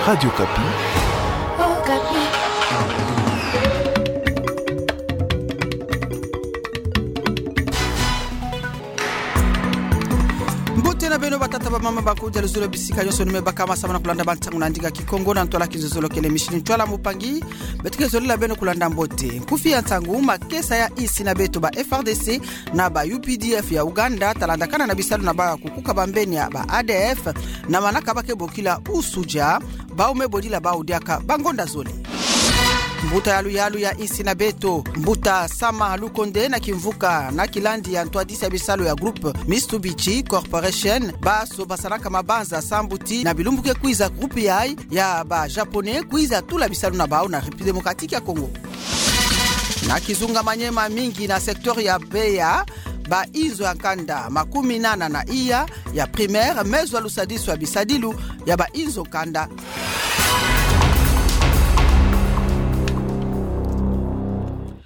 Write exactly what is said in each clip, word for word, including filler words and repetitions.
Radio Okapi. Okapi. Mbote na beno batata, bamama, bakudia luzolo bisika nyonso ni me bakama samu na kulanda bansangu na ndinga Kikongo na ntwala kizololo kele mishini ntwala mupangi. Beto ke zolila beno kulanda mbote. Nkufi ya nsangu: makesa ya insi na beto, ba F R D C na ba U P D F ya Uganda, ta landakana na bisalu na bawu ya kukuka bambeni ya ba A D F, na manaka ba ke bokila Usuja, bawu me bodila bawu diaka bangonda zole. Mbuta ya luyalu ya insi na beto, Mbuta Sama Lukonde, na kimvuka na kilandi ya ntwadisi ya bisalu ya groupe Mitsubishi Corporation, baso basalaka mabanza sambu ti na bilumbu ke kwiza groupe yayi ya ba Japonais kwiza tula bisalu na bawu na République Démocratique ya Congo. Na kizunga Maniema, mingi na secteur ya Beya, ba inzo ya nkanda makumi nana na iya ya primaire me zwa lusadisu ya bisadilu ya ba inzo kanda.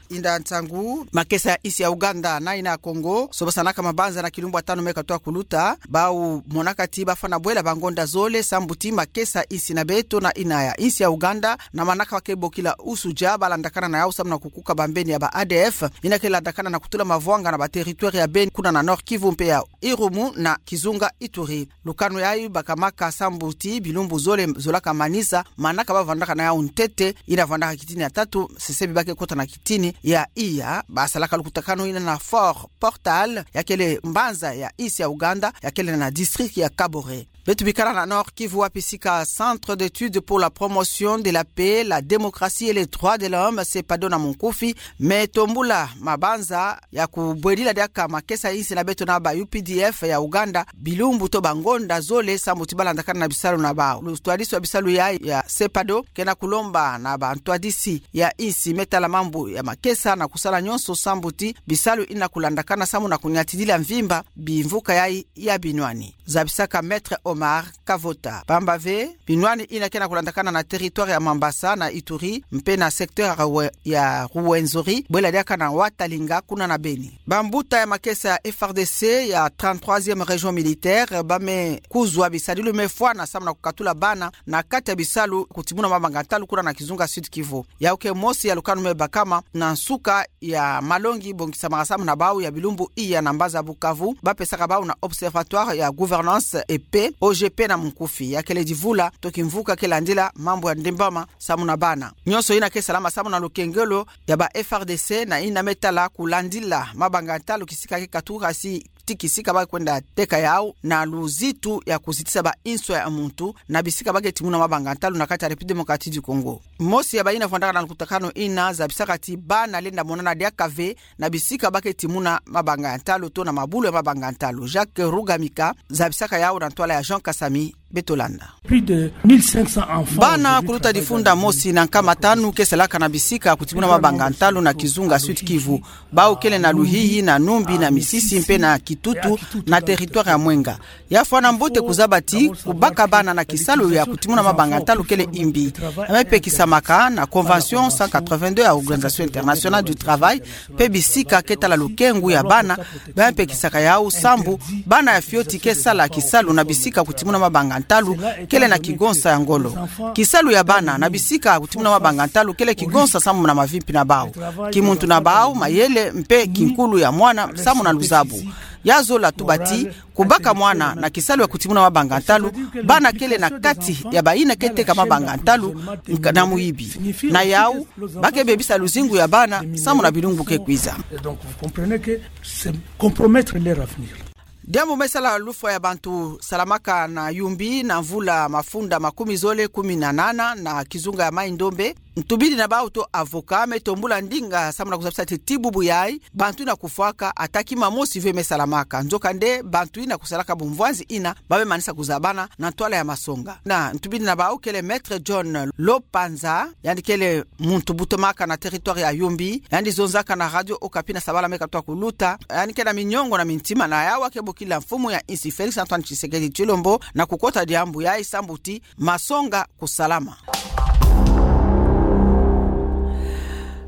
Inda nsangu: makesa ya insi ya Uganda na ina ya Congo, so basanaka mabanza na kilumbu ya tanu me katwa kuluta, bawu monaka ti bafwana bwela bangonda zole sambu ti makesa ya insi na beto na ina ya insi ya Uganda, na manaka ba ke bokila Usuja, ba landakana na yawu samu na kukuka bambeni ya ba A D F, ina ke landakana na kutula mavwanga na ba territoire ya Beni, kuna na Nord-Kivu mpe ya Irumu na kizunga Ituri. Lukanu yayi bakamaka sambu ti bilumbu zole zolaka manisa, manaka ba vwandaka na yawu ntete, ina vwandaka kitini ya tatu, sesebi ba ke kota na kitini ya iya. Basalaka lukutakanu ina na Fort Portal, ya kele mbanza ya insi ya Uganda, ya kele na district ya Kabore. Beto bikala na Nord-Kivu, wapi sika Centre d'études pour la promotion de la paix, la démocratie et les droits de l'homme, CEPADO na munkufi, me tombula mabanza ya kubwedila diaka makesa ya insi na beto na ba U P D F ya Uganda bilumbu to bangonda zole sambu ti ba landakana na bisalu na bawu. Lutwadisi wa bisalu yayi ya CEPADO ke na kulomba na bantwadisi ya insi me tala mambu ya makesa na kusala nyonso sambu ti bisalu ina kulandakana samu na kunyatidila mvimba bimvuka yayi ya binwani, zabisaka Maître Omar Kavota. Pamba ve, binwani ina ke na kulandakana na territoire ya Mambasa na Ituri, mpe na secteur ya Rwe-, ya Rwenzori, bwela diaka na Watalinga kuna na Beni. Bambuta ya makesa ya F R D C ya trente-troisième région militaire ba me kuzwa bisadilu me fwana samu na kukatula bana na kati ya bisalu kutimuna mabanga ntalu kuna na kizunga Sud-Kivu. Yawu ke mosi ya lukanu me bakama na nsuka ya malongi bongisamaka samu na bawu ya bilumbu iya na mbanza Bukavu, ba pesaka bawu na Observatoire ya Gouvernance et Paix, O G P na munkufi. Ya kele divula to kimvuka ke landila mambu ya ndembama samu na bana. Nyonso ina ke salama samu na lukengelo ya ba F R D C na ina me tala kulandila mabanga ntalu kisika ke katuka si ti kisika ba kwenda teka yawu na luzitu ya kuzitisa ba inso ya muntu na bisika ba ke timuna mabanga ntalu na kati ya République Démocratique du Congo. Mosi ya bayina vwandaka na lukutakanu ina zabisaka ti bana lenda monana diaka ve na bisika ba ke timuna mabanga ntalu to na mabulu ya mabanga ntalu. Jacques Rugamika zabisaka yawu na ntwala ya Jean Kasami. Beto landa. Plus de mille cinq cents enfants. Bana kuluta difunda mosi na nkama tanu ke salaka na bisika kutimuna mabanga ntalu na kizunga Sud-Kivu. Bawu kele na Luhihi, na Numbi, na Misisi mpe na Kitutu, na territoire ya Mwenga. Ya fwana mbote kuzaba ti kubaka bana na kisalu ya kutimuna mabanga ntalu kele imbi. Ya me pekisamaka na Convention cent quatre-vingt-deux ya Organisation Internationale du Travail, mpe bisika ke tala lukengu ya bana, ba me pekisaka yawu sambu bana ya fioti ke sala kisalu na bisika kutimuna mabanga ntalu kele na kigonsa ya ngolo. Kisalu ya bana na bisika kutimuna mabanga ntalu kele kigonsa samu na mavimpi na bawu, kimuntu na bawu, mayele mpe kinkulu ya mwana samu na luzabu. Ya zola tuba ti kubaka mwana na kisalu ya kutimuna mabanga ntalu, bana kele na kati ya bayina ke teka mabanga ntalu nka-, na muyibi. Na yawu, ba ke bebisa luzingu ya bana samu na bilumbu ke kwiza. Et donc, vous comprenez que c'est compromettre leur avenir. Diambu me sala lufwa ya bantu salamaka na Yumbi na mvula mafunda makumi zole kumi na nana na kizunga ya Mai-Ndombe. Ntubidi na bawu to avocat me tombula ndinga samu na kuzabisa ti ti bubu yayi bantu ina kufwaka, ata kima mosi ve me salamaka. Nzokande bantu ina kusalaka bumvwanzi ina ba me manisa kuzabana na ntwala ya masonga. Na ntubidi na bawu kele Maître John Lopanza, yandi kele muntu butomaka na territoire ya Yumbi, yandi zonzaka na Radio Okapi na sabala me katwa kuluta. Yandi ke na minyongo na mintima na yawu a ke bokila mfumu ya insi Félix Antoine Tshisekedi Tshilombo na kukota diambu yayi sambu ti masonga kusalama.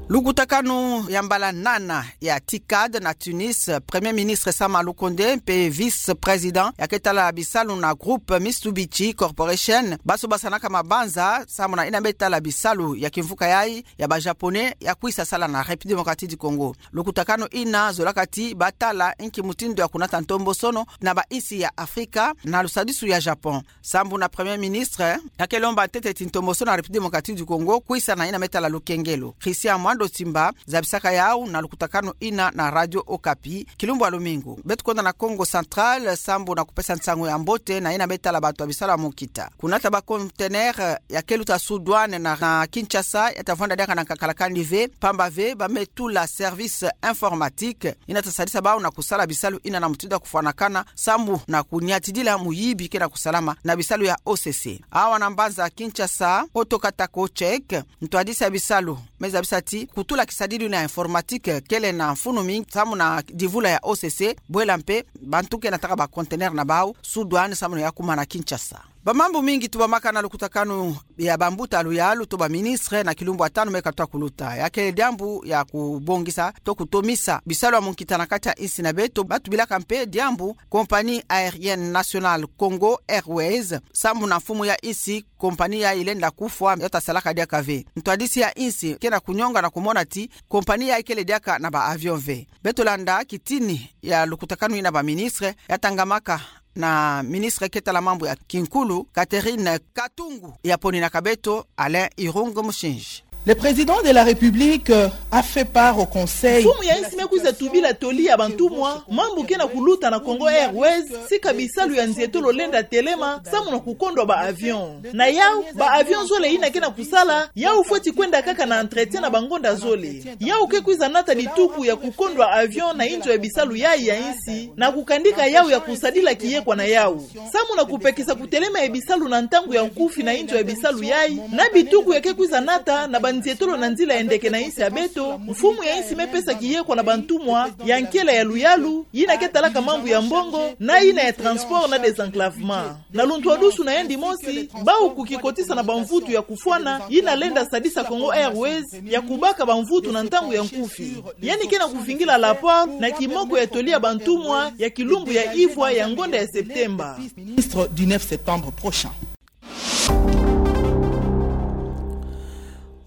Lukutakanu ya mbala nana ya TICAD na Tunis, Premier Ministre Sama Lukonde mpe Vice-Président ya ke tala bisalu na groupe Mitsubishi Corporation, baso basanaka mabanza sambu na yina me tala bisalu ya kimvuka yayi ya ba Japonais ya kwisa sala na République Démocratique du Congo. Lukutakanu yina zolaka ti ba tala inki mutindu ya kunata ntombosono na ba insi ya Afrika na lusadisu ya Japon. Sambu na Premier Ministre, ya ke lomba ntete ti ntombosono na République Démocratique du Congo kwisa na yina me tala lukengelo. Christian Mwando Simba zabisaka yawu na lukutakanu yina na Radio Okapi, kilumbu ya lumingu. Beto kwenda na Kongo Central, sambu na kupesa nsangu ya mbote na yina me tala bantu ya bisalu ya munkita. Kunata ba conteneur ya ke luta sous douane na, na Kinshasa, ya ta vwanda diaka na nkakalakani ve, pamba ve ba me tula service informatique yina ta sadisa bawu na kusala bisalu yina na mutindu ya kufwanakana, sambu na kunyatidila muyibi ke na kusalama na bisalu ya O C C. Awa na mbanza Kinshasa, Otto Katako Check, ntwadisi ya bisalu, me zabisa ti kutula kisadidi na informatique kele na mfunu mingi, sambu na divula ya O C C, bwela mpe bantu ke nataka ba conteneur na bawu sous douane, sambu na ya kuma na Kinshasa. Ba mambu mingi tubamaka na lukutakanu ya bambuta luyalu to ba ministre na kilumbu ya tanu me katuka kuluta. Ya kele diambu ya kubongisa to kutomisa bisalu ya munkita na kati ya insi na beto, ba tubilaka mpe diambu Compagnie Aérienne Nationale Congo Airways, sambu na mfumu ya insi, compagnie yayi ilenda kufwa, ya ta salaka diaka ve. Ntwadisi ya insi ke na kunyonga na kumona ti compagnie yayi kele diaka na ba avion ve. Beto landa kitini ya lukutakanu yina ba ministre, ya tangamaka na ministre ke tala mambu ya kinkulu, Catherine Katungu, ya poninaka beto Alain Irung Mushinji. Le président de la République, euh, a fait part au Conseil. Mfumu ya insi me kwiza tubila toli ya bantumwa, mambu ke na kuluta na Congo Airways, sika bisalu ya nzietolo lenda telema, sambu na kukondwa ba avion. Na yawu, ba avion zole yina ke na kusala, yawu fweti kwenda kaka na entretien na bangonda zole. Yawu ke kwiza nata dituku ya kukondwa avion na inzo ya bisalu yayi ya insi, na kukandika yawu ya kusadila kiyekwa na yawu. Sambu na kupekisa kutelema ya bisalu na ntangu ya nkufi na inzo ya bisalu yayi, na bituku ya ke kwiza nata na banzietolo na nzila ya ndeke na insi ya beto, mfumu ya insi me pesa kiyekwa na bantumwa ya nkela ya luyalu, yina ke talaka mambu ya mbongo, na yina ya transport na désenclavement. Na luntwadusu na yandi mosi, bawu kukikotisa na bamvutu ya kufwana, yina lenda sadisa Congo Airways ya kubaka bamvutu na ntangu ya nkufi. Yandi ke na kuvingila rapport na kimoko ya toli ya bantumwa ya kilumbu ya ivwa ya ngonda ya Septemba. Ministre du neuf septembre prochain.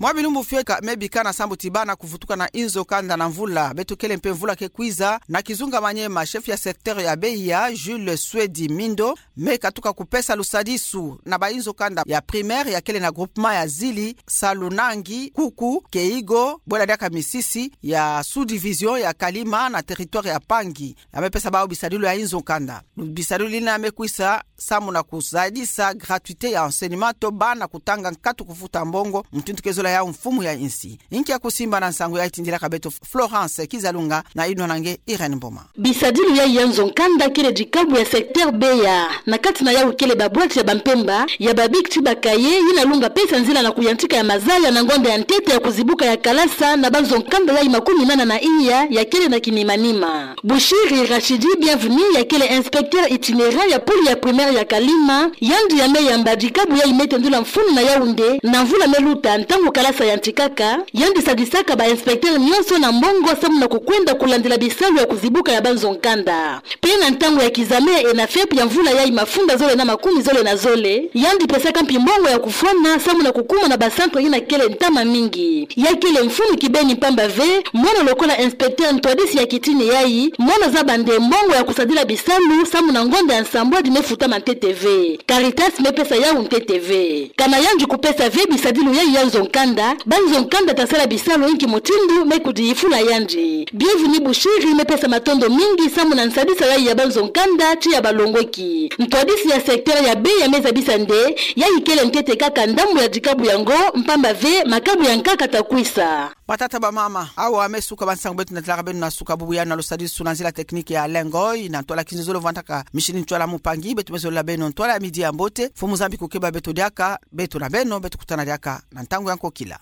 Mwa bilumbu fieka me bikana sambu ti bana kuvutuka na inzo kanda na mvula beto kele mpe mvula ke kwiza, na Kizunga Maniema, chef ya secteur ya Beya, Jules Swedi Mindo, me katuka kupesa lusadisu na ba inzo kanda ya primaire ya kele na groupement ya Zili, Salunangi, Kuku, Keigo, bwela diaka misisi ya sous-division ya Kalima na territoire ya Pangi. Ya me pesa bawu bisadilu ya inzo kanda. Bisadilu yina me kwisa sambu na kusadisa gratuité ya enseignement to bana kutanga nkatu kufuta mbongo, mutindu ke zola yawu mfumu ya insi. Inki ya kusimba na nsangu yayi? Tindilaka beto Florence Kizalunga na inwa na nge Irène Mboma. Bisadilu yayi ya nzo kanda kele dikabu ya secteur Beya. Na kati na yawu kele babwati ya bampemba, ya babiki ti ba cahier, yina lunga pesa nzila na kuyantika ya mazaya na ngonda ya ntete ya kuzibuka ya kalasa na banzo kanda yayi makumi nana na iya ya kele na kinimanima. Bushiri Rachidi Bienvenu, ya kele inspecteur itinérant ya pôle ya primaire ya Kalima, yandi ya me yamba dikabu yayi me tendula mfunu na Yaoundé na mvula me luta, ntangu kalasa yantikaka, yandi sadisaka ba inspecteur nyonso na mbongo sambu na kukwenda kulandila bisalu ya kuzibuka ya banzo kanda. Mpe na ntangu ya kizame ENAFEP ya mvula yayi mafunda zole na makumi zole na zole, yandi pesaka mpi mbongo ya kufwana sambu na kukuma na ba centre yina kele ntama mingi. Ya kele mfunu kibeni mpamba ve, mono lokola inspecteur ntwadisi ya kitini yayi, mono zaba nde mbongo ya kusadila bisalu sambu na ngonda ya nsambwadi me futama ntete ve. Caritas me pesa yawu ntete ve. Kana yandi kupesa ve bisadilu yayi ya nzo kanda, banzo kanda ta sala bisalu inki mutindu me kudiyifula yandi. Bienvenu Bushiri me pesa matondo mingi sambu na nsadisa yayi ya banzo kanda ti ya balongoki. Ntwadisi ya secteur ya Beya me zabisa nde, yayi kele ntete kaka ndambu ya dikabu yango, mpamba ve makabu ya nkaka ta kwisa. Batata, bamama, awa me suka ba nsangu beto natalaka beno na suka bubu yano na lusadisu na nzila technique ya Alain Ngoy, na ntwala kinzonzolo vwandaka Micheline Ntwala Mumpangi, beto me zololo beno ntwala ya midi ya mbote, Mfumu Nzambi kukeba beto diaka, beto na beno, beto kutana diaka na ntangu ya nkokila.